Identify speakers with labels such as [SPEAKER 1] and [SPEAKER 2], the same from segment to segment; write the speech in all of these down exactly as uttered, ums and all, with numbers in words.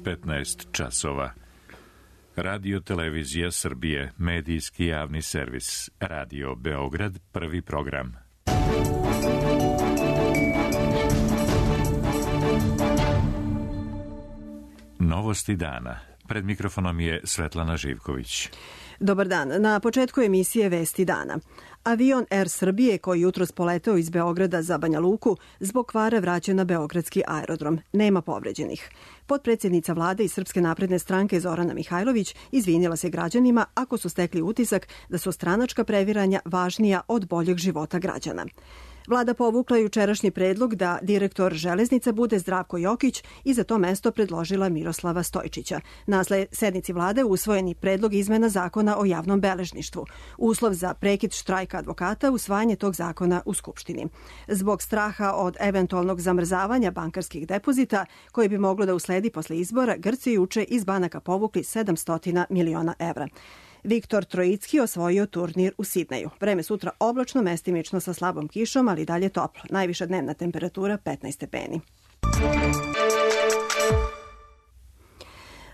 [SPEAKER 1] petnaest časova. Radio Televizija Srbije, medijski javni servis. Radio Beograd, prvi program. Novosti dana. Pred mikrofonom je Svetlana Živković.
[SPEAKER 2] Dobar dan. Na početku emisije Vesti dana. Avion Er Srbije koji jutros poleteo iz Beograda za Banja Luku zbog kvara vraćen na beogradski aerodrom. Nema povređenih. Potpredsjednica vlade i Srpske napredne stranke Zorana Mihajlović izvinila se građanima ako su stekli utisak da su stranačka previranja važnija od boljeg života građana. Vlada povukla jučerašnji predlog da direktor železnica bude Zdravko Jokić i za to mesto predložila Miroslava Stojčića. Na sednici vlade usvojeni predlog izmena zakona o javnom beležništvu. Uslov za prekid štrajka advokata usvajanje tog zakona u Skupštini. Zbog straha od eventualnog zamrzavanja bankarskih depozita koji bi moglo da usledi posle izbora, Grci juče iz banaka povukli sedamsto miliona evra. Viktor Trojicki osvojio turnir u Sidneju. Vreme sutra oblačno, mestimično sa slabom kišom, ali dalje toplo. Najviša dnevna temperatura petnaest stepeni.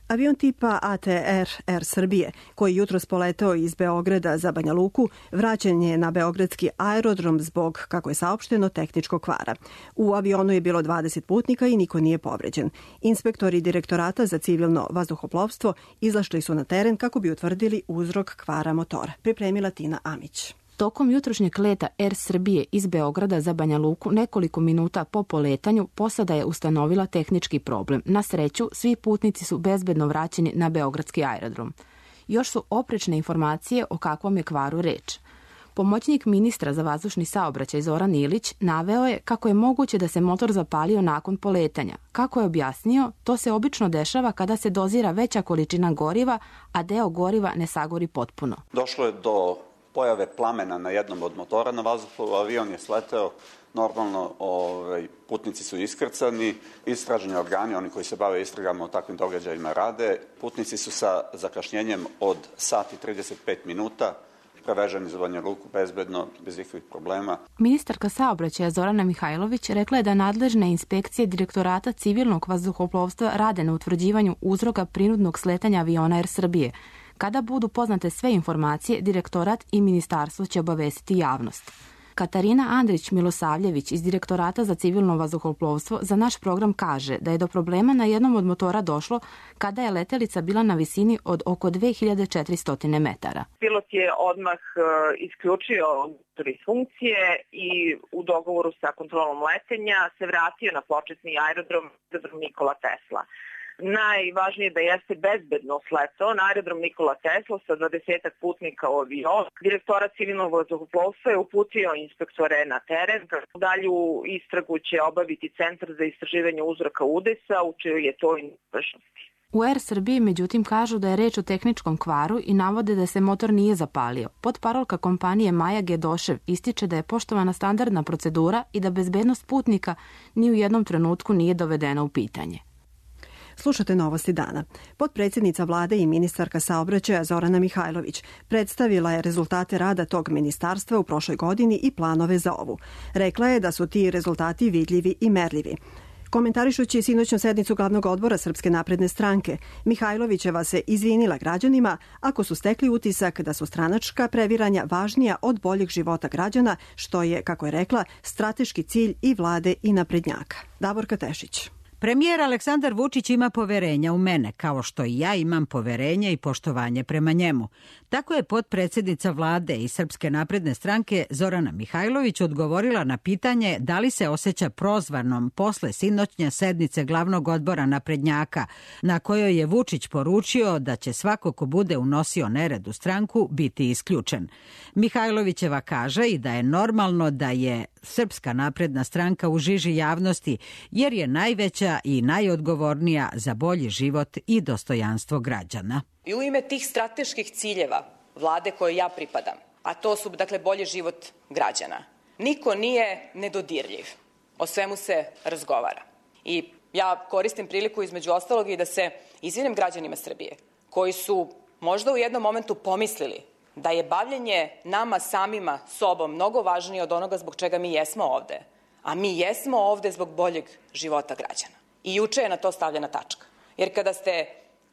[SPEAKER 2] Avion tipa A T R Er Srbije, koji jutros poleteo iz Beograda za Banja Luku, vraćen je na beogradski aerodrom zbog, kako je saopšteno, tehničkog kvara. U avionu je bilo dvadeset putnika i niko nije povređen. Inspektori Direktorata za civilno vazduhoplovstvo izašli su na teren kako bi utvrdili uzrok kvara motora. Pripremila Tina Amić.
[SPEAKER 3] Tokom jutrošnjeg leta Er Srbije iz Beograda za Banja Luku nekoliko minuta po poletanju posada je ustanovila tehnički problem. Na sreću, svi putnici su bezbedno vraćeni na beogradski aerodrom. Još su oprečne informacije o kakvom je kvaru reč. Pomoćnik ministra za vazdušni saobraćaj Zoran Ilić naveo je kako je moguće da se motor zapalio nakon poletanja. Kako je objasnio, to se obično dešava kada se dozira veća količina goriva, a deo goriva ne sagori potpuno.
[SPEAKER 4] Došlo je do pojave plamena na jednom od motora na vazduhoplovu, avion je sleteo, normalno ovaj, putnici su iskrcani, istražni organi, oni koji se bave istragama o takvim događajima rade, putnici su sa zakašnjenjem od sat i trideset pet minuta preveženi za Banja Luku bezbedno, bez ikakvih problema.
[SPEAKER 3] Ministarka saobraćaja Zorana Mihajlović rekla je da nadležne inspekcije Direktorata civilnog vazduhoplovstva rade na utvrđivanju uzroka prinudnog sletanja aviona Er Srbije. Kada budu poznate sve informacije, direktorat i ministarstvo će obavestiti javnost. Katarina Andrić-Milosavljević iz Direktorata za civilno vazduhoplovstvo za naš program kaže da je do problema na jednom od motora došlo kada je letelica bila na visini od oko dve hiljade četiristo metara.
[SPEAKER 5] Pilot je odmah isključio motor iz funkcije i u dogovoru sa kontrolom letenja se vratio na početni aerodrom, aerodrom Nikola Tesla. Najvažnije je da jeste bezbedno sletao na aerodrom Nikola Tesla sa dvadesetak putnika u avionu. Direktorat civilnog vazduhoplovstva je uputio inspektore na teren. Dalju istragu će obaviti Centar za istraživanje uzroka udesa, u čijoj je to nadležnosti.
[SPEAKER 3] U Er Srbiji, međutim, kažu da je reč o tehničkom kvaru i navode da se motor nije zapalio. Potparolka kompanije Maja Gedošev ističe da je poštovana standardna procedura i da bezbednost putnika ni u jednom trenutku nije dovedena u pitanje.
[SPEAKER 2] Slušate Novosti dana. Potpredsjednica vlade i ministarka saobraćaja Zorana Mihajlović predstavila je rezultate rada tog ministarstva u prošloj godini i planove za ovu. Rekla je da su ti rezultati vidljivi i merljivi. Komentarišući sinoćnu sednicu glavnog odbora Srpske napredne stranke, Mihajlovićeva se izvinila građanima ako su stekli utisak da su stranačka previranja važnija od boljeg života građana, što je, kako je rekla, strateški cilj i vlade i naprednjaka. Davorka Tešić.
[SPEAKER 6] Premijer Aleksandar Vučić ima poverenja u mene, kao što i ja imam poverenje i poštovanje prema njemu. Tako je potpredsjednica vlade i Srpske napredne stranke Zorana Mihajlović odgovorila na pitanje da li se osjeća prozvanom posle sinoćnje sednice glavnog odbora naprednjaka, na kojoj je Vučić poručio da će svako ko bude unosio nered u stranku biti isključen. Mihajlovićeva kaže i da je normalno da je Srpska napredna stranka u žiži javnosti, jer je najveća i najodgovornija za bolji život i dostojanstvo građana.
[SPEAKER 7] I u ime tih strateških ciljeva vlade kojoj ja pripadam, a to su dakle bolji život građana, niko nije nedodirljiv. O svemu se razgovara. I ja koristim priliku između ostalog i da se izvinem građanima Srbije koji su možda u jednom momentu pomislili da je bavljenje nama samima sobom mnogo važnije od onoga zbog čega mi jesmo ovde. A mi jesmo ovde zbog boljeg života građana. I juče je na to stavljena tačka. Jer kada ste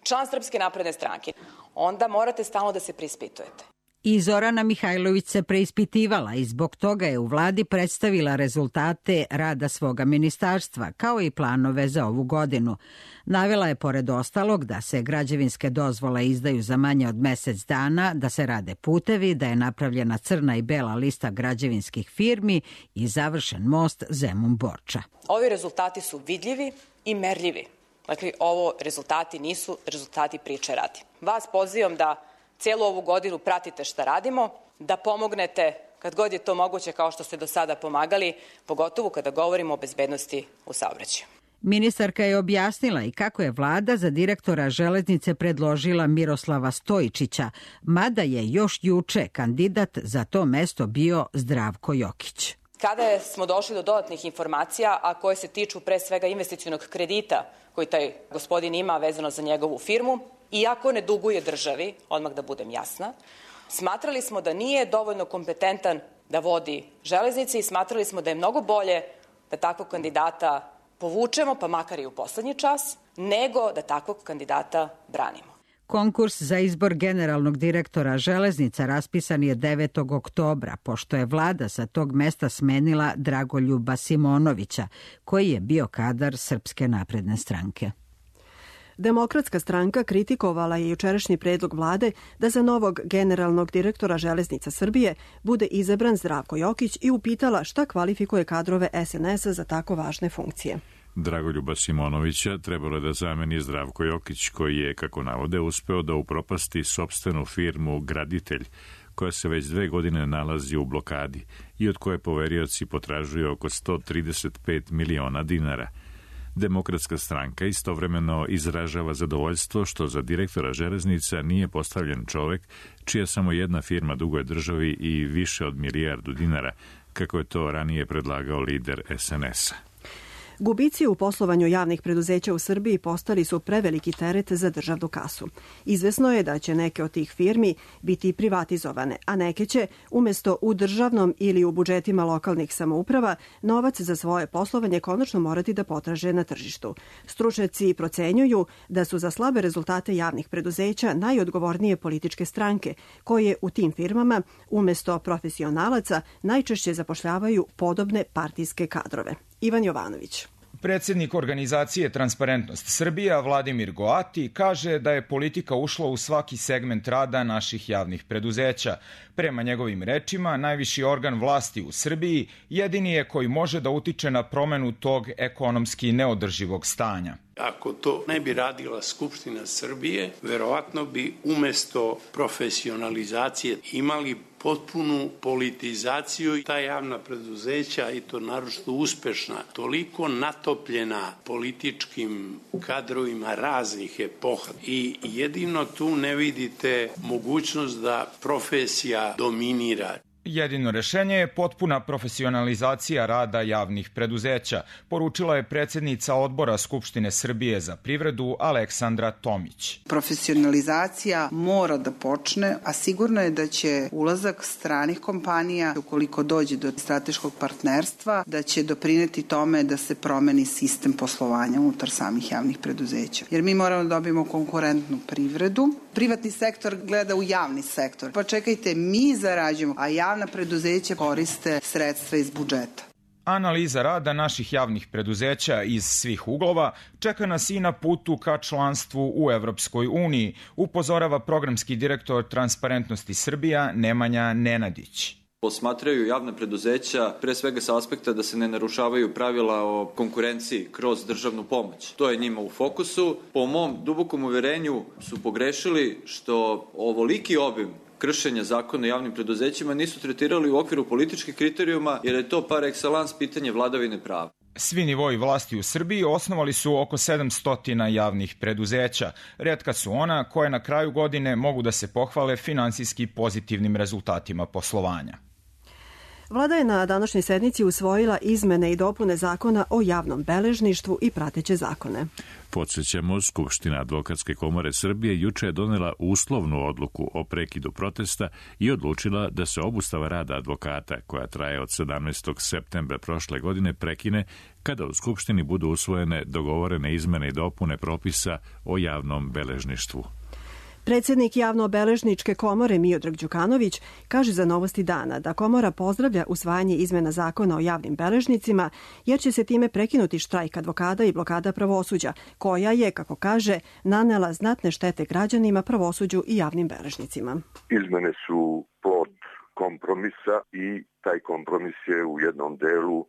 [SPEAKER 7] član Srpske napredne stranke, onda morate stalno da se preispitujete.
[SPEAKER 6] I Zorana Mihajlović se preispitivala i zbog toga je u vladi predstavila rezultate rada svoga ministarstva, kao i planove za ovu godinu. Navela je pored ostalog da se građevinske dozvole izdaju za manje od mesec dana, da se rade putevi, da je napravljena crna i bela lista građevinskih firmi i završen most Zemun-Borča.
[SPEAKER 7] Ovi rezultati su vidljivi i merljivi. Dakle, ovo rezultati nisu rezultati priče radi. Vas pozivam da cijelu ovu godinu pratite šta radimo, da pomognete kad god je to moguće kao što ste do sada pomagali, pogotovo kada govorimo o bezbednosti u saobraćaju.
[SPEAKER 6] Ministarka je objasnila i kako je vlada za direktora železnice predložila Miroslava Stojičića, mada je još juče kandidat za to mesto bio Zdravko Jokić.
[SPEAKER 7] Kada smo došli do dodatnih informacija, a koje se tiču pre svega investicionog kredita koji taj gospodin ima vezano za njegovu firmu, iako ne duguje državi, odmah da budem jasna, smatrali smo da nije dovoljno kompetentan da vodi železnice i smatrali smo da je mnogo bolje da takvog kandidata povučemo, pa makar i u poslednji čas, nego da takvog kandidata branimo.
[SPEAKER 6] Konkurs za izbor generalnog direktora železnica raspisan je devetog oktobra, pošto je vlada sa tog mesta smenila Dragoljuba Simonovića, koji je bio kadar Srpske napredne stranke.
[SPEAKER 2] Demokratska stranka kritikovala je jučerašnji predlog vlade da za novog generalnog direktora Železnica Srbije bude izabran Zdravko Jokić i upitala šta kvalifikuje kadrove es en es-a za tako važne funkcije.
[SPEAKER 1] Dragoljuba Simonovića trebalo je da zameni Zdravko Jokić, koji je, kako navode, uspeo da upropasti sopstvenu firmu Graditelj, koja se već dve godine nalazi u blokadi i od koje poverioci potražuju oko sto trideset pet miliona dinara. Demokratska stranka istovremeno izražava zadovoljstvo što za direktora železnica nije postavljen čovek čija samo jedna firma duguje državi i više od milijardu dinara, kako je to ranije predlagao lider es en es-a.
[SPEAKER 2] Gubici u poslovanju javnih preduzeća u Srbiji postali su preveliki teret za državnu kasu. Izvesno je da će neke od tih firmi biti privatizovane, a neke će, umesto u državnom ili u budžetima lokalnih samouprava, novac za svoje poslovanje konačno morati da potraže na tržištu. Stručnjaci procenjuju da su za slabe rezultate javnih preduzeća najodgovornije političke stranke, koje u tim firmama, umesto profesionalaca, najčešće zapošljavaju podobne partijske kadrove. Ivan Jovanović.
[SPEAKER 8] Predsednik organizacije Transparentnost Srbija, Vladimir Goati, kaže da je politika ušla u svaki segment rada naših javnih preduzeća. Prema njegovim rečima, najviši organ vlasti u Srbiji jedini je koji može da utiče na promenu tog ekonomski neodrživog stanja.
[SPEAKER 9] Ako to ne bi radila Skupština Srbije, verovatno bi umesto profesionalizacije imali potpunu politizaciju. Ta javna preduzeća, i to naročito uspešna, toliko natopljena političkim kadrovima raznih epoha i jedino tu ne vidite mogućnost da profesija dominira.
[SPEAKER 8] Jedino rešenje je potpuna profesionalizacija rada javnih preduzeća, poručila je predsednica odbora Skupštine Srbije za privredu Aleksandra Tomić.
[SPEAKER 10] Profesionalizacija mora da počne, a sigurno je da će ulazak stranih kompanija, ukoliko dođe do strateškog partnerstva, da će doprineti tome da se promeni sistem poslovanja unutar samih javnih preduzeća. Jer mi moramo da dobijemo konkurentnu privredu. Privatni sektor gleda u javni sektor. Pa čekajte, mi zarađujemo, a javna preduzeća koriste sredstva iz budžeta.
[SPEAKER 8] Analiza rada naših javnih preduzeća iz svih uglova čeka nas i na putu ka članstvu u Evropskoj uniji, upozorava programski direktor Transparentnosti Srbija Nemanja Nenadić.
[SPEAKER 11] Posmatraju javna preduzeća pre svega sa aspekta da se ne narušavaju pravila o konkurenciji kroz državnu pomoć. To je njima u fokusu. Po mom dubokom uverenju su pogrešili što ovoliki obim kršenja zakona o javnim preduzećima nisu tretirali u okviru političkih kriterijuma, jer je to par excellence pitanje vladavine prava.
[SPEAKER 8] Svi nivoji vlasti u Srbiji osnovali su oko sedamsto javnih preduzeća. Retka su ona koje na kraju godine mogu da se pohvale finansijski pozitivnim rezultatima poslovanja.
[SPEAKER 2] Vlada je na današnjoj sednici usvojila izmene i dopune zakona o javnom beležništvu i prateće zakone.
[SPEAKER 1] Podsjećamo, Skupština Advokatske komore Srbije juče je donela uslovnu odluku o prekidu protesta i odlučila da se obustava rada advokata, koja traje od sedamnaestog septembra prošle godine, prekine kada u Skupštini budu usvojene dogovorene izmene i dopune propisa o javnom beležništvu.
[SPEAKER 2] Predsjednik Javno-beležničke komore Miodrag Đukanović kaže za Novosti dana da komora pozdravlja usvajanje izmena zakona o javnim beležnicima, jer će se time prekinuti štrajk advokata i blokada pravosuđa, koja je, kako kaže, nanela znatne štete građanima, pravosuđu i javnim beležnicima.
[SPEAKER 12] Izmene su plod kompromisa i taj kompromis je u jednom delu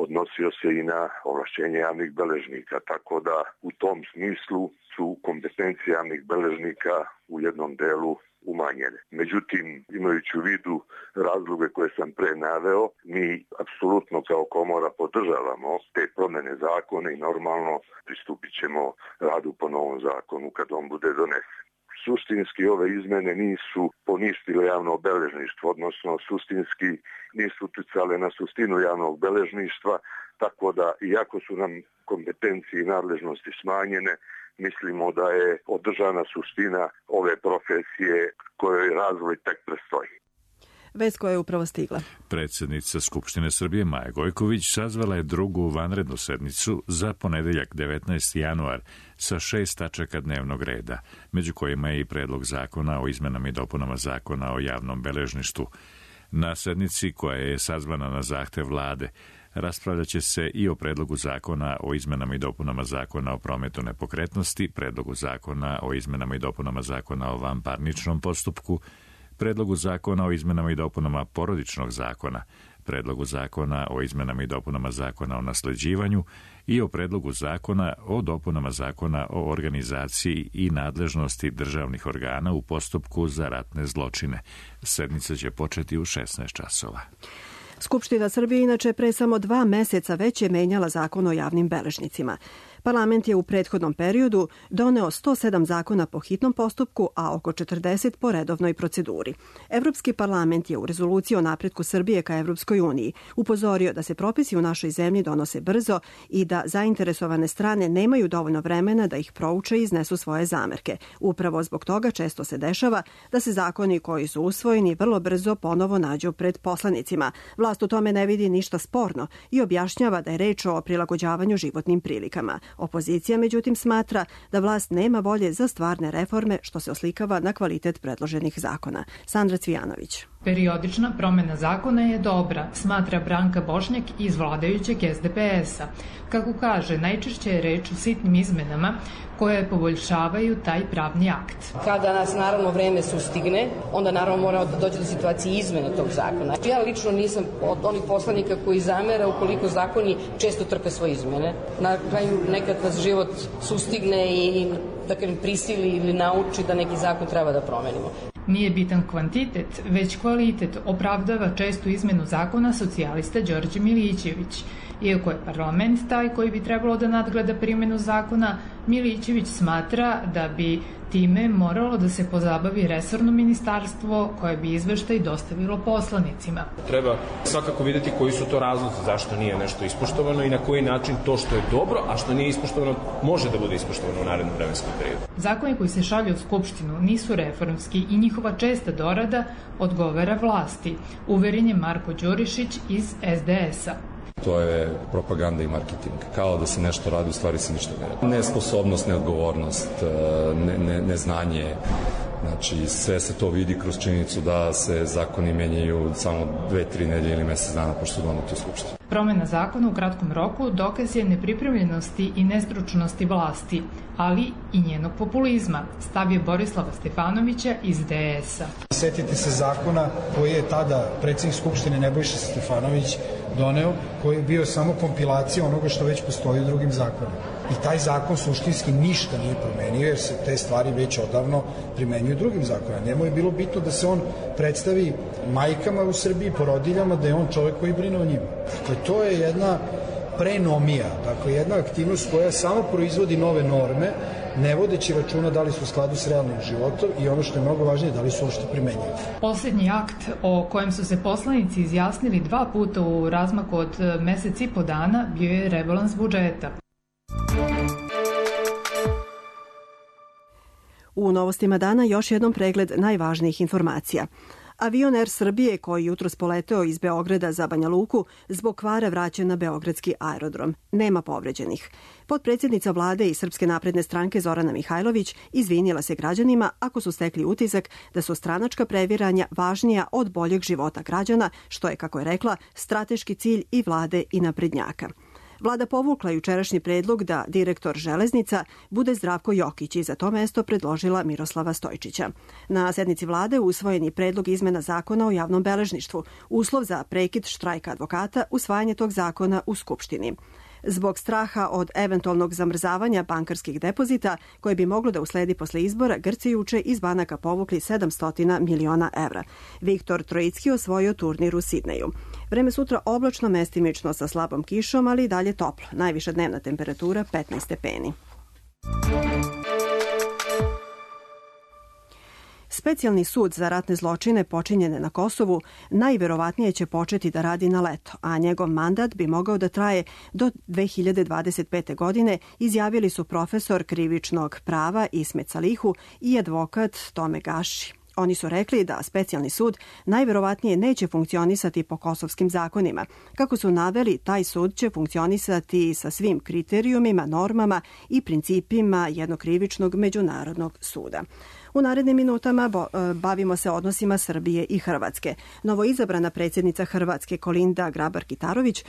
[SPEAKER 12] odnosio se i na ovlašćenje javnih beležnika, tako da u tom smislu su kompetencije javnih beležnika u jednom delu umanjene. Međutim, imajući u vidu razloge koje sam pre naveo, mi apsolutno kao komora podržavamo te promene zakona i normalno pristupit ćemo radu po novom zakonu kad on bude donesen. Suštinski ove izmene nisu poništile javno beležništvo, odnosno suštinski nisu uticale na suštinu javnog beležništva, tako da iako su nam kompetencije i nadležnosti smanjene, mislimo da je održana suština ove profesije kojoj razvoj tek predstoji.
[SPEAKER 2] Vest koja je upravo stigla.
[SPEAKER 1] Predsjednica Skupštine Srbije Maja Gojković sazvala je drugu vanrednu sednicu za ponedeljak devetnaesti januar sa šest tačaka dnevnog reda, među kojima je i predlog zakona o izmenama i dopunama zakona o javnom beležništvu. Na sednici, koja je sazvana na zahtev vlade, raspravljat će se i o predlogu zakona o izmenama i dopunama zakona o prometu nepokretnosti, predlogu zakona o izmenama i dopunama zakona o vanparničnom postupku, predlogu zakona o izmenama i dopunama porodičnog zakona, predlogu zakona o izmenama i dopunama zakona o nasleđivanju i o predlogu zakona o dopunama zakona o organizaciji i nadležnosti državnih organa u postupku za ratne zločine. Sednica će početi u šesnaest časova.
[SPEAKER 2] Skupština Srbije inače pre samo dva meseca već je menjala zakon o javnim beležnicima. Parlament je u prethodnom periodu doneo sto sedam zakona po hitnom postupku, a oko četrdeset po redovnoj proceduri. Evropski parlament je u rezoluciji o napretku Srbije ka Evropskoj uniji upozorio da se propisi u našoj zemlji donose brzo i da zainteresovane strane nemaju dovoljno vremena da ih prouče i iznesu svoje zamerke. Upravo zbog toga često se dešava da se zakoni koji su usvojeni vrlo brzo ponovo nađu pred poslanicima. Vlast u tome ne vidi ništa sporno i objašnjava da je reč o prilagođavanju životnim prilikama. Opozicija, međutim, smatra da vlast nema volje za stvarne reforme, što se oslikava na kvalitet predloženih zakona. Sandra Cvijanović.
[SPEAKER 13] Periodična promena zakona je dobra, smatra Branka Bošnjak iz vladajućeg es de pe es-a. Kako kaže, najčešće je reč o sitnim izmenama koje poboljšavaju taj pravni akt.
[SPEAKER 14] Kada nas naravno vreme sustigne, onda naravno moramo da doći do situacije izmene tog zakona. Ja lično nisam od onih poslanika koji zamera ukoliko zakoni često trpe svoje izmene. Na kraju nekad nas život sustigne i da kažem prisili ili nauči da neki zakon treba da promenimo.
[SPEAKER 13] Nije bitan kvantitet, već kvalitet, opravdava čestu izmenu zakona socijalista Đorđe Milićević. Iako je parlament taj koji bi trebalo da nadgleda primjenu zakona, Milićević smatra da bi time moralo da se pozabavi resorno ministarstvo koje bi izveštaj dostavilo poslanicima.
[SPEAKER 15] Treba svakako vidjeti koji su to razlozi, zašto nije nešto ispoštovano i na koji način to što je dobro, a što nije ispoštovano može da bude ispoštovano u narednom vremenskom periodu.
[SPEAKER 13] Zakoni koji se šalju u Skupštinu nisu reformski i njihova česta dorada odgovara vlasti, uveren je Marko Đurišić iz es de es-a.
[SPEAKER 16] To je propaganda i marketing. Kao da se nešto radi, u stvari se ništa ne radi. Nesposobnost, neodgovornost, ne, ne, neznanje. Znači, sve se to vidi kroz činjenicu da se zakoni menjaju samo dve, tri nedelje ili mesec dana pošto su doneti u Skupštini.
[SPEAKER 13] Promena zakona u kratkom roku dokaz je nepripremljenosti i nestručnosti vlasti, ali i njenog populizma, stav je Borislava Stefanovića iz de es-a.
[SPEAKER 17] Setite se zakona koji je tada predsjednik Skupštine Nebojša Stefanović doneo, koji je bio samo kompilacija onoga što već postoji u drugim zakonima. I taj zakon suštinski ništa nije promenio, jer se te stvari već odavno primenjuju drugim zakonima. Njemu je bilo bitno da se on predstavi majkama u Srbiji, porodiljama, da je on čovjek koji brine o njima. Dakle, to je jedna prenomija, dakle jedna aktivnost koja samo proizvodi nove norme, ne vodeći računa da li su u skladu s realnim životom i ono što je mnogo važnije, da li su uopšte primenjive.
[SPEAKER 13] Poslednji akt o kojem su se poslanici izjasnili dva puta u razmaku od mesec i po dana bio je rebalans budžeta.
[SPEAKER 2] U novostima dana još jednom pregled najvažnijih informacija. Avion Er Srbije koji jutros poleteo iz Beograda za Banja Luku zbog kvara vraćen na beogradski aerodrom. Nema povređenih. Potpredsjednica vlade i Srpske napredne stranke Zorana Mihajlović izvinila se građanima ako su stekli utisak da su stranačka previranja važnija od boljeg života građana, što je, kako je rekla, strateški cilj i vlade i naprednjaka. Vlada povukla jučerašnji predlog da direktor železnica bude Zdravko Jokić i za to mesto predložila Miroslava Stojčića. Na sednici vlade usvojen je predlog izmena zakona o javnom beležništvu, uslov za prekid štrajka advokata, usvajanje tog zakona u Skupštini. Zbog straha od eventualnog zamrzavanja bankarskih depozita, koje bi moglo da usledi posle izbora, Grci juče iz banaka povukli sedamsto miliona evra. Viktor Trojicki osvojio turnir u Sidneju. Vreme sutra oblačno, mestimično sa slabom kišom, ali i dalje toplo. Najviša dnevna temperatura petnaest stepeni. Specijalni sud za ratne zločine počinjene na Kosovu najverovatnije će početi da radi na leto, a njegov mandat bi mogao da traje do dve hiljade dvadeset pete. godine, izjavili su profesor krivičnog prava Ismet Salihu i advokat Tome Gaši. Oni su rekli da specijalni sud najverovatnije neće funkcionisati po kosovskim zakonima. Kako su naveli, taj sud će funkcionisati sa svim kriterijumima, normama i principima jednog krivičnog međunarodnog suda. U narednim minutama bavimo se odnosima Srbije i Hrvatske. Novoizabrana predsjednica Hrvatske Kolinda Grabar-Kitarović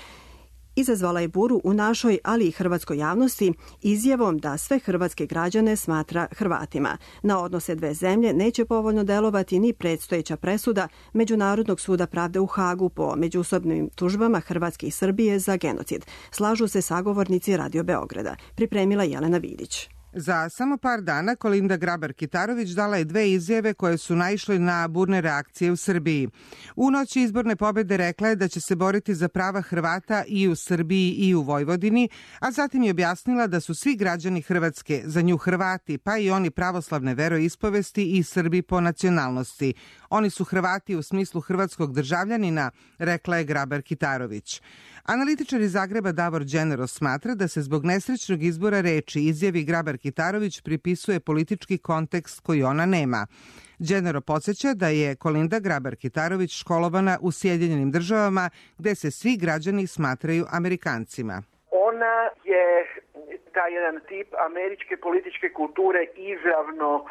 [SPEAKER 2] izazvala je buru u našoj, ali i hrvatskoj javnosti izjavom da sve hrvatske građane smatra Hrvatima. Na odnose dve zemlje neće povoljno delovati ni predstojeća presuda Međunarodnog suda pravde u Hagu po međusobnim tužbama Hrvatske i Srbije za genocid. Slažu se sagovornici Radio Beograda. Pripremila Jelena Vidić.
[SPEAKER 18] Za samo par dana Kolinda Grabar-Kitarović dala je dve izjave koje su naišle na burne reakcije u Srbiji. U noći izborne pobede rekla je da će se boriti za prava Hrvata i u Srbiji i u Vojvodini, a zatim je objasnila da su svi građani Hrvatske za nju Hrvati, pa i oni pravoslavne veroispovesti i Srbi po nacionalnosti. Oni su Hrvati u smislu hrvatskog državljanina, rekla je Grabar-Kitarović. Analitičar iz Zagreba Davor Đenero smatra da se zbog nesrećnog izbora reči izjavi Grabar-Kitarović pripisuje politički kontekst koji ona nema. Đenero podsjeća da je Kolinda Grabar-Kitarović školovana u Sjedinjenim državama gde se svi građani smatraju Amerikancima.
[SPEAKER 19] Ona je taj jedan tip američke političke kulture izravno uh,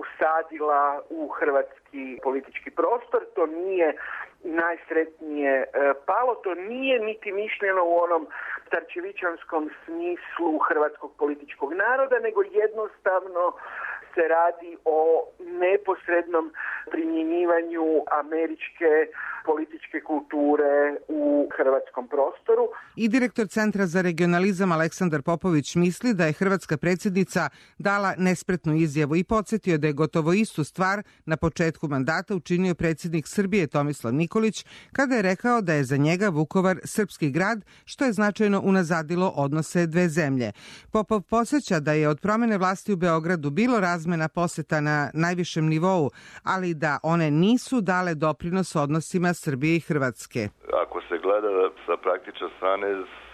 [SPEAKER 19] usadila u hrvatski politički prostor. To nije najsretnije uh, palo, to nije niti mišljeno u onom starčevićanskom smislu hrvatskog političkog naroda, nego jednostavno se radi o neposrednom primjenjivanju američke političke kulture u hrvatskom prostoru.
[SPEAKER 18] I direktor Centra za regionalizam Aleksandar Popović misli da je hrvatska predsjednica dala nespretnu izjavu i podsjetio da je gotovo istu stvar na početku mandata učinio predsjednik Srbije Tomislav Nikolić kada je rekao da je za njega Vukovar srpski grad, što je značajno unazadilo odnose dve zemlje. Popov podsjeća da je od promene vlasti u Beogradu bilo razmena poseta na najvišem nivou, ali da one nisu dale doprinos odnosima Srbije i Hrvatske.
[SPEAKER 20] Ako se gleda sa praktične strane,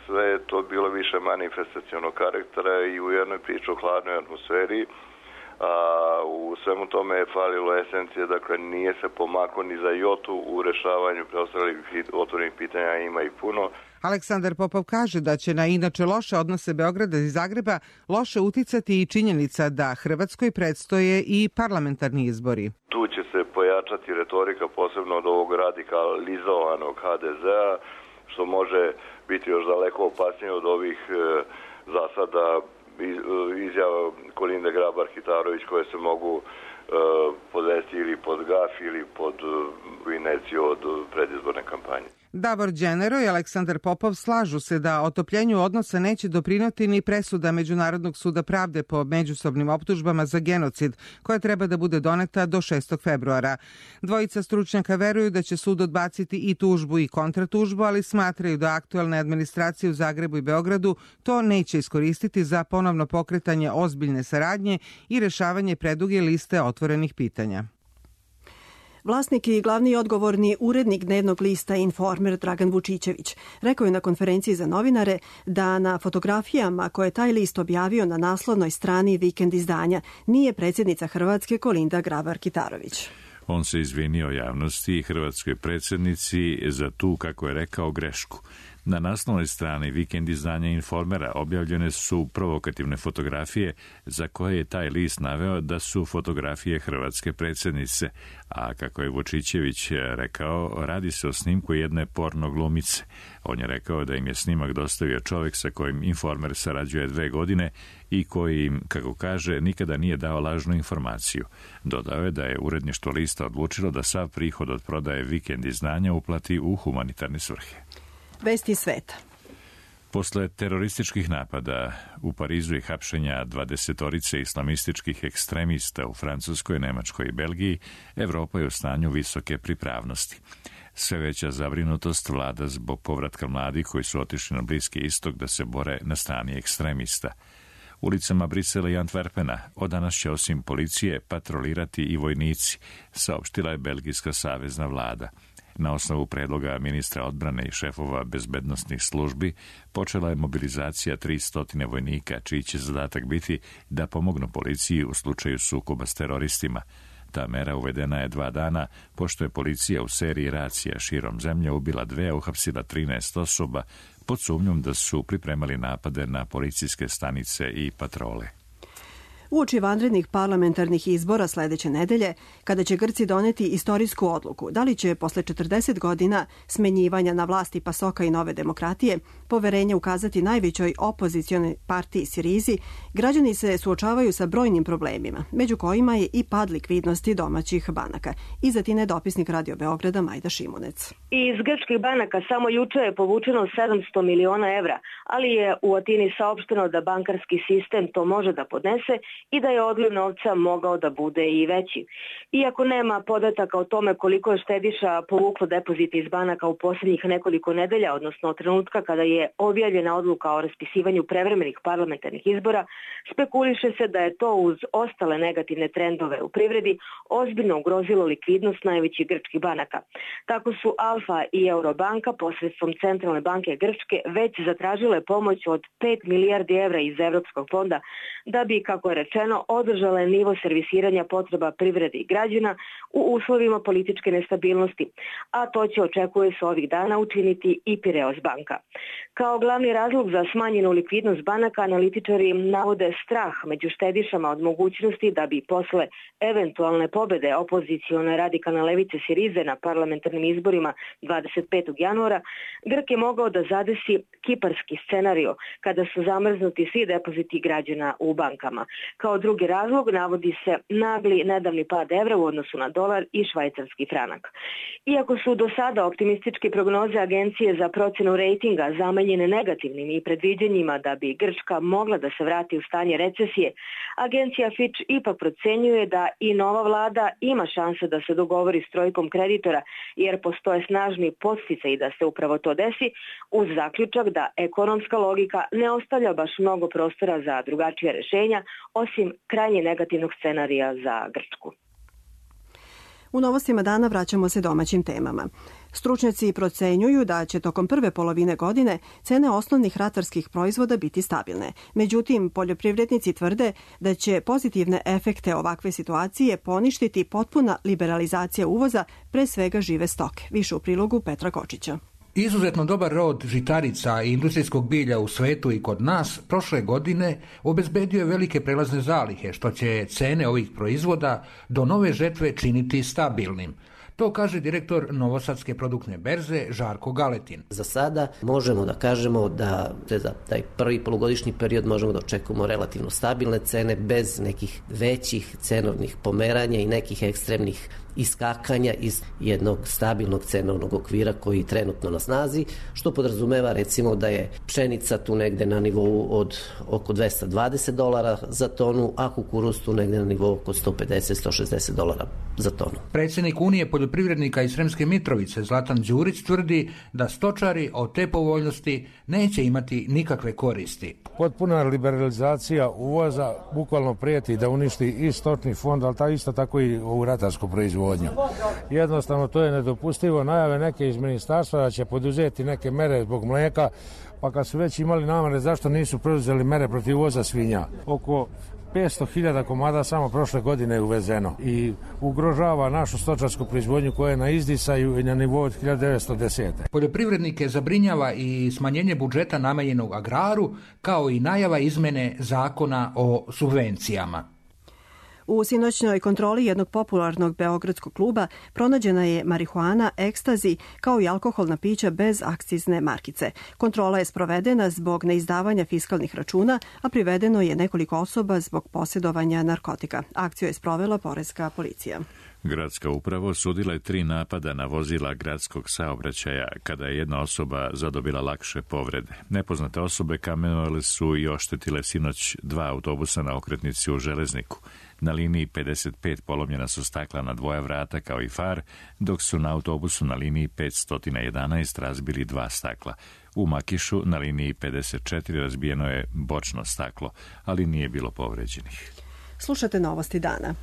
[SPEAKER 20] sve je to bilo više manifestacionog karaktera i u jednoj priči o hladnoj atmosferi. A u svemu tome je falilo esencije, dakle nije se pomaklo ni za jotu u rešavanju preostalih otvorenih pitanja, ima ih puno.
[SPEAKER 18] Aleksandar Popov kaže da će na inače loše odnose Beograda i Zagreba loše uticati i činjenica da Hrvatskoj predstoje i parlamentarni izbori.
[SPEAKER 20] Tu će se pojačati retorika posebno od ovog radikalizovanog ha de zea, što može biti još daleko opasnije od ovih e, zasada izjava Kolinde Grabar-Kitarović koje se mogu e, podvesti ili pod gaf ili pod inerciju od predizborne kampanje.
[SPEAKER 18] Davor Đenero i Aleksandar Popov slažu se da otopljenju odnosa neće doprinoti ni presuda Međunarodnog suda pravde po međusobnim optužbama za genocid, koja treba da bude doneta do šestog februara. Dvojica stručnjaka veruju da će sud odbaciti i tužbu i kontratužbu, ali smatraju da aktuelne administracije u Zagrebu i Beogradu to neće iskoristiti za ponovno pokretanje ozbiljne saradnje i rešavanje preduge liste otvorenih pitanja.
[SPEAKER 2] Vlasnik i glavni odgovorni urednik dnevnog lista Informer Dragan Vučićević rekao je na konferenciji za novinare da na fotografijama koje je taj list objavio na naslovnoj strani Vikend izdanja nije predsjednica Hrvatske Kolinda Grabar-Kitarović.
[SPEAKER 1] On se izvinio javnosti i hrvatskoj predsjednici za tu, kako je rekao, grešku. Na naslovnoj strani Vikend izdanja Informera objavljene su provokativne fotografije za koje je taj list naveo da su fotografije hrvatske predsjednice, a kako je Vučićević rekao, radi se o snimku jedne porno glumice. On je rekao da im je snimak dostavio čovjek sa kojim Informer sarađuje dve godine i koji im, kako kaže, nikada nije dao lažnu informaciju. Dodao je da je uredništvo lista odlučilo da sav prihod od prodaje Vikend izdanja uplati u humanitarne svrhe.
[SPEAKER 2] Vesti sveta.
[SPEAKER 1] Posle terorističkih napada u Parizu i hapšenja dvadesetorice islamističkih ekstremista u Francuskoj, Nemačkoj i Belgiji, Evropa je u stanju visoke pripravnosti. Sve veća zabrinutost vlada zbog povratka mladih koji su otišli na Bliski istok da se bore na strani ekstremista. Ulicama Brisela i Antwerpena od danas će osim policije patrolirati i vojnici, saopštila je belgijska savezna vlada. Na osnovu predloga ministra odbrane i šefova bezbednosnih službi počela je mobilizacija tristo vojnika, čiji će zadatak biti da pomognu policiji u slučaju sukoba s teroristima. Ta mera uvedena je dva dana, pošto je policija u seriji racija širom zemlje ubila dve, a uhapsila trinaest osoba pod sumnjom da su pripremali napade na policijske stanice i patrole.
[SPEAKER 2] Uoči vanrednih parlamentarnih izbora sledeće nedelje, kada će Grci doneti istorijsku odluku da li će posle četrdeset godina smenjivanja na vlasti Pasoka i Nove demokratije poverenje ukazati najvećoj opozicionoj partiji Sirizi, građani se suočavaju sa brojnim problemima, među kojima je i pad likvidnosti domaćih banaka. Iza tine dopisnik Radio Beograda Majda Šimunec.
[SPEAKER 21] Iz grčkih banaka samo juče je povučeno sedamsto miliona evra, ali je u Atini saopšteno da bankarski sistem to može da podnese i da je odliv novca mogao da bude i veći. Iako nema podataka o tome koliko je štediša povuklo depozite iz banaka u posljednjih nekoliko nedelja, odnosno od trenutka kada je objavljena odluka o raspisivanju prevremenih parlamentarnih izbora, spekuliše se da je to uz ostale negativne trendove u privredi ozbiljno ugrozilo likvidnost najvećih grčkih banaka. Tako su Alfa i Eurobanka posredstvom Centralne banke Grčke već zatražile pomoć od pet milijardi evra iz Evropskog fonda da bi, kako je rečeno, održale nivo servisiranja potreba privrede i građana u uslovima političke nestabilnosti, a to će, očekuje se ovih dana, učiniti i Pireos banka. Kao glavni razlog za smanjenu likvidnost banaka, analitičari navode strah među štedišama od mogućnosti da bi posle eventualne pobede opozicione radikalne levice Sirize na parlamentarnim izborima dvadeset petog januara, Grk je mogao da zadesi kiparski scenario kada su zamrznuti svi depoziti građana u bankama. Kao drugi razlog navodi se nagli nedavni pad evra u odnosu na dolar i švajcarski franak. Iako su do sada optimističke prognoze Agencije za procenu rejtinga zamenjene negativnim i predviđanjima da bi Grčka mogla da se vrati u stanje recesije, Agencija Fitch ipak procenjuje da i nova vlada ima šanse da se dogovori s trojkom kreditora, jer postoje snažni podsticaji da se upravo to desi, uz zaključak da ekonomska logika ne ostavlja baš mnogo prostora za drugačije rešenja, osim krajnje negativnog scenarija za Grčku.
[SPEAKER 2] U novostima dana vraćamo se domaćim temama. Stručnjaci procenjuju da će tokom prve polovine godine cene osnovnih ratarskih proizvoda biti stabilne. Međutim, poljoprivrednici tvrde da će pozitivne efekte ovakve situacije poništiti potpuna liberalizacija uvoza, pre svega žive stoke. Više u prilogu Petra Kočića.
[SPEAKER 22] Izuzetno dobar rod žitarica i industrijskog bilja u svetu i kod nas prošle godine obezbedio je velike prelazne zalihe, što će cene ovih proizvoda do nove žetve činiti stabilnim. To kaže direktor Novosadske produktne berze Žarko Galetin.
[SPEAKER 4] Za sada možemo da kažemo da za taj prvi polugodišnji period možemo da očekujemo relativno stabilne cene bez nekih većih cenovnih pomeranja i nekih ekstremnih iskakanja iz jednog stabilnog cenovnog okvira koji je trenutno na snazi, što podrazumeva recimo da je pšenica tu negde na nivou od oko dvesta dvadeset dolara za tonu, a kukuruz tu negde na nivou oko sto pedeset do sto šezdeset dolara za tonu.
[SPEAKER 22] Predsjednik Unije poljoprivrednika iz Sremske Mitrovice Zlatan Đurić tvrdi da stočari od te povoljnosti neće imati nikakve koristi.
[SPEAKER 5] Potpuna liberalizacija uvoza bukvalno prijeti da uništi i stočni fond, ali ta isto tako i u ratarsku proizvodnju. Jednostavno to je nedopustivo. Najave neke iz ministarstva da će poduzeti neke mere zbog mlijeka, pa kad su već imali namere zašto nisu preuzeli mere protiv uvoza svinja. Oko petsto hiljada komada samo prošle godine je uvezeno i ugrožava našu stočarsku proizvodnju koja je na izdisaju i na nivou od hiljadu devetsto desete.
[SPEAKER 22] Poljoprivrednike zabrinjava i smanjenje budžeta namenjenog agraru, kao i najava izmene zakona o subvencijama.
[SPEAKER 2] U sinoćnoj kontroli jednog popularnog beogradskog kluba pronađena je marihuana, ekstazi, kao i alkoholna pića bez akcizne markice. Kontrola je sprovedena zbog neizdavanja fiskalnih računa, a privedeno je nekoliko osoba zbog posjedovanja narkotika. Akciju je sprovela poreska policija.
[SPEAKER 1] Gradska uprava osudila je tri napada na vozila gradskog saobraćaja kada je jedna osoba zadobila lakše povrede. Nepoznate osobe kamenovale su i oštetile sinoć dva autobusa na okretnici u Železniku. Na liniji pedeset pet polomljena su stakla na dvoja vrata kao i far, dok su na autobusu na liniji petsto jedanaest razbili dva stakla. U Makišu na liniji pedeset četiri razbijeno je bočno staklo, ali nije bilo povređenih.
[SPEAKER 2] Slušate novosti dana.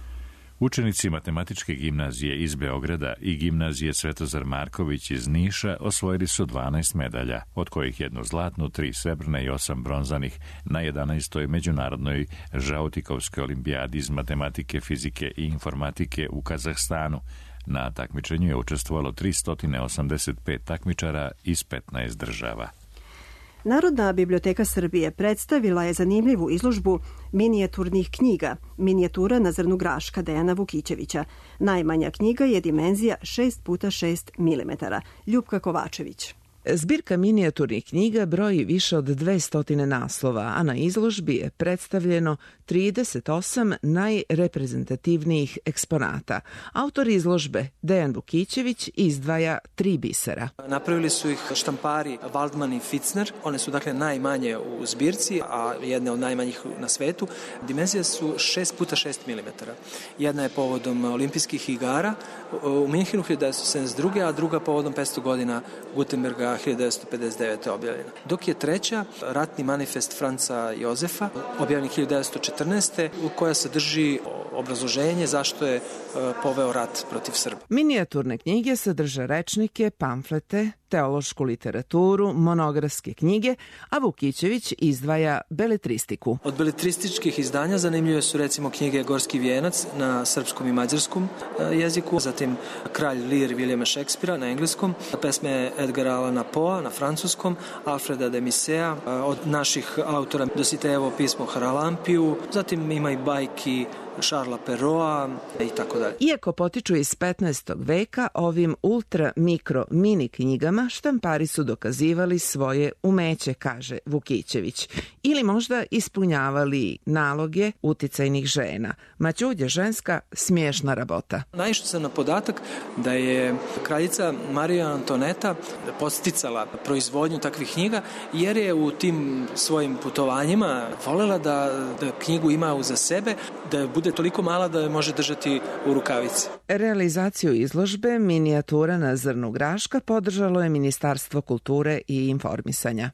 [SPEAKER 1] Učenici Matematičke gimnazije iz Beograda i gimnazije Svetozar Marković iz Niša osvojili su dvanaest medalja, od kojih jednu zlatnu, tri srebrne i osam bronzanih na jedanaestoj međunarodnoj Žautikovskoj olimpijadi iz matematike, fizike i informatike u Kazahstanu. Na takmičenju je učestvovalo tristo osamdeset pet takmičara iz petnaest država.
[SPEAKER 2] Narodna biblioteka Srbije predstavila je zanimljivu izložbu minijaturnih knjiga, minijatura na zrnu graška Dejana Vukićevića. Najmanja knjiga je dimenzija šest puta šest milimetara. Ljupka Kovačević.
[SPEAKER 23] Zbirka minijaturnih knjiga broji više od dvesta naslova, a na izložbi je predstavljeno trideset osam najreprezentativnijih eksponata. Autor izložbe, Dejan Vukićević, izdvaja tri bisera.
[SPEAKER 24] Napravili su ih štampari Waldman i Fitzner. One su dakle najmanje u zbirci, a jedne od najmanjih na svetu. Dimenzije su šest puta šest milimetara. Jedna je povodom olimpijskih igara u Minhenu hiljadu devetsto sedamdeset druge. a druga povodom petsto godina Gutenberga hiljadu devetsto pedeset devete. objavljena. Dok je treća ratni manifest Franca Jozefa, objavljen hiljadu devetsto četrnaeste. u koja sadrži obrazloženje zašto je poveo rat protiv Srba.
[SPEAKER 23] Minijaturne knjige sadrže rečnike, pamflete, teološku literaturu, monografske knjige, a Vukićević izdvaja beletristiku.
[SPEAKER 24] Od beletrističkih izdanja zanimljive su recimo knjige Gorski vijenac na srpskom i mađarskom jeziku, zatim Kralj Lir Vilijama Šekspira na engleskom, pesme Edgara Allana Poea na francuskom, Alfreda de Musset, od naših autora Dositejevo pismo Haralampiju, zatim ima i bajki Šarla Perroa i tako dalje.
[SPEAKER 23] Iako potiču iz petnaestog veka, ovim ultra mikro mini knjigama štampari su dokazivali svoje umeće, kaže Vukićević, ili možda ispunjavali naloge uticajnih žena. Maćud je ženska smiješna rabota.
[SPEAKER 24] Naišao sam na podatak da je kraljica Marija Antoneta podsticala proizvodnju takvih knjiga, jer je u tim svojim putovanjima volela da, da knjigu ima uza sebe, da bude toliko mala da je može držati u rukavici.
[SPEAKER 23] Realizaciju izložbe minijatura na zrnu graška podržalo je Ministarstvo kulture i informisanja.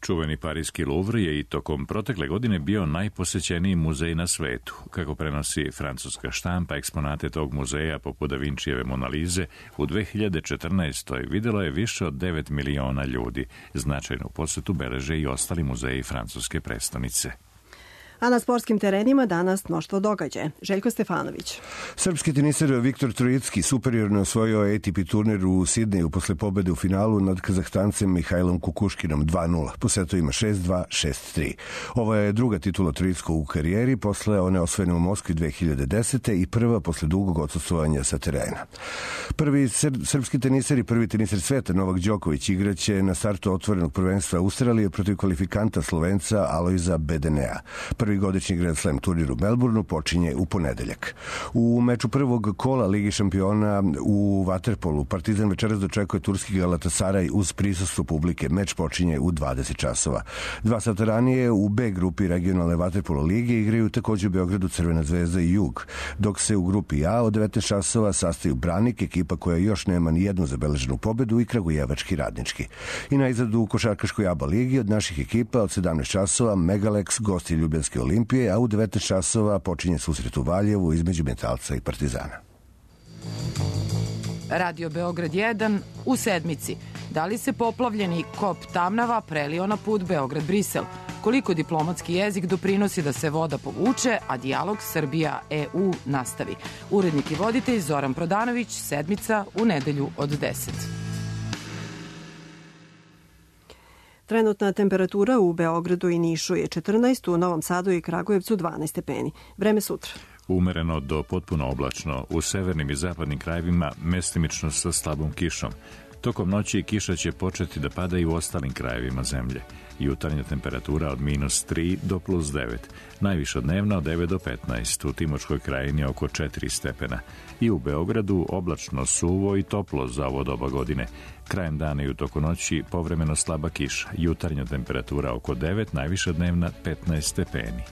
[SPEAKER 1] Čuveni parijski Louvre je i tokom protekle godine bio najposećeniji muzej na svetu. Kako prenosi francuska štampa, eksponate tog muzeja poput Da Vinčijeve Monalize u dve hiljade četrnaestoj videlo je više od devet miliona ljudi. Značajnu posetu beleže i ostali muzeji francuske prestonice.
[SPEAKER 2] A na sportskim terenima danas mnoštvo događaja. Željko Stefanović.
[SPEAKER 3] Srpski teniser Viktor Trojicki superiorno osvojio A T P turnir u Sidneju posle pobede u finalu nad Kazahstancem Mihajlom Kukuškinom dva nula. Po setovima šest dva, šest tri. Ovo je druga titula Trojickog u karijeri posle one osvojene u Moskvi dve hiljade desete. i prva posle dugog odsustvovanja sa terena. Prvi sr- srpski teniser i prvi teniser sveta Novak Đoković igraće na startu otvorenog prvenstva Australije protiv kvalifikanta Slovenca Alojza Bedenea. Prvi godišnji Grand Slam turnir u Melbourneu počinje u ponedeljak. U meču prvog kola Ligi šampiona u vaterpolu Partizan večeras dočekuje turski Galatasaray uz prisustvo publike. Meč počinje u dvadeset časova. Dva sata ranije u B grupi regionalne vaterpolo lige igraju takođe u Beogradu Crvena zvezda i Jug, dok se u grupi A od devetnaest časova sastaju Branik, ekipa koja još nema ni jednu zabeleženu pobedu, i Kragujevački Radnički. I najzad u košarkaškoj A B A ligi od naših ekipa od sedamnaest časova Megalex gosti Ljubljanske Olimpije, a u devetnaest časova počinje susret u Valjevu između Metalca i Partizana.
[SPEAKER 23] Radio Beograd jedan u sedmici. Da li se poplavljeni kop Tamnava prelio na put Beograd-Brisel? Koliko diplomatski jezik doprinosi da se voda povuče, a dijalog Srbija-E U nastavi? Urednik i voditelj Zoran Prodanović, sedmica u nedelju od deset.
[SPEAKER 2] Trenutna temperatura u Beogradu i Nišu je četrnaest, u Novom Sadu i Kragujevcu dvanaest stepeni. Vreme sutra.
[SPEAKER 1] Umereno do potpuno oblačno, u severnim i zapadnim krajevima mestimično sa slabom kišom. Tokom noći kiša će početi da pada i u ostalim krajevima zemlje. Jutarnja temperatura od minus tri do plus devet. Najviša dnevna od devet do petnaest. U Timočkoj krajini oko četiri stepena. I u Beogradu oblačno, suvo i toplo za ovo doba godine. Krajem dana i u toku noći povremeno slaba kiša. Jutarnja temperatura oko devet, najviša dnevna petnaest stepeni.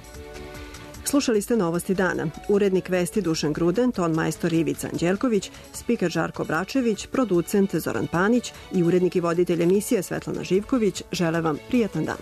[SPEAKER 2] Slušali ste Novosti dana. Urednik vesti Dušan Gruden, ton majstor Ivica Anđelković, spiker Žarko Bračević, producent Zoran Panić i urednik i voditelj emisije Svetlana Živković žele vam prijatan dan.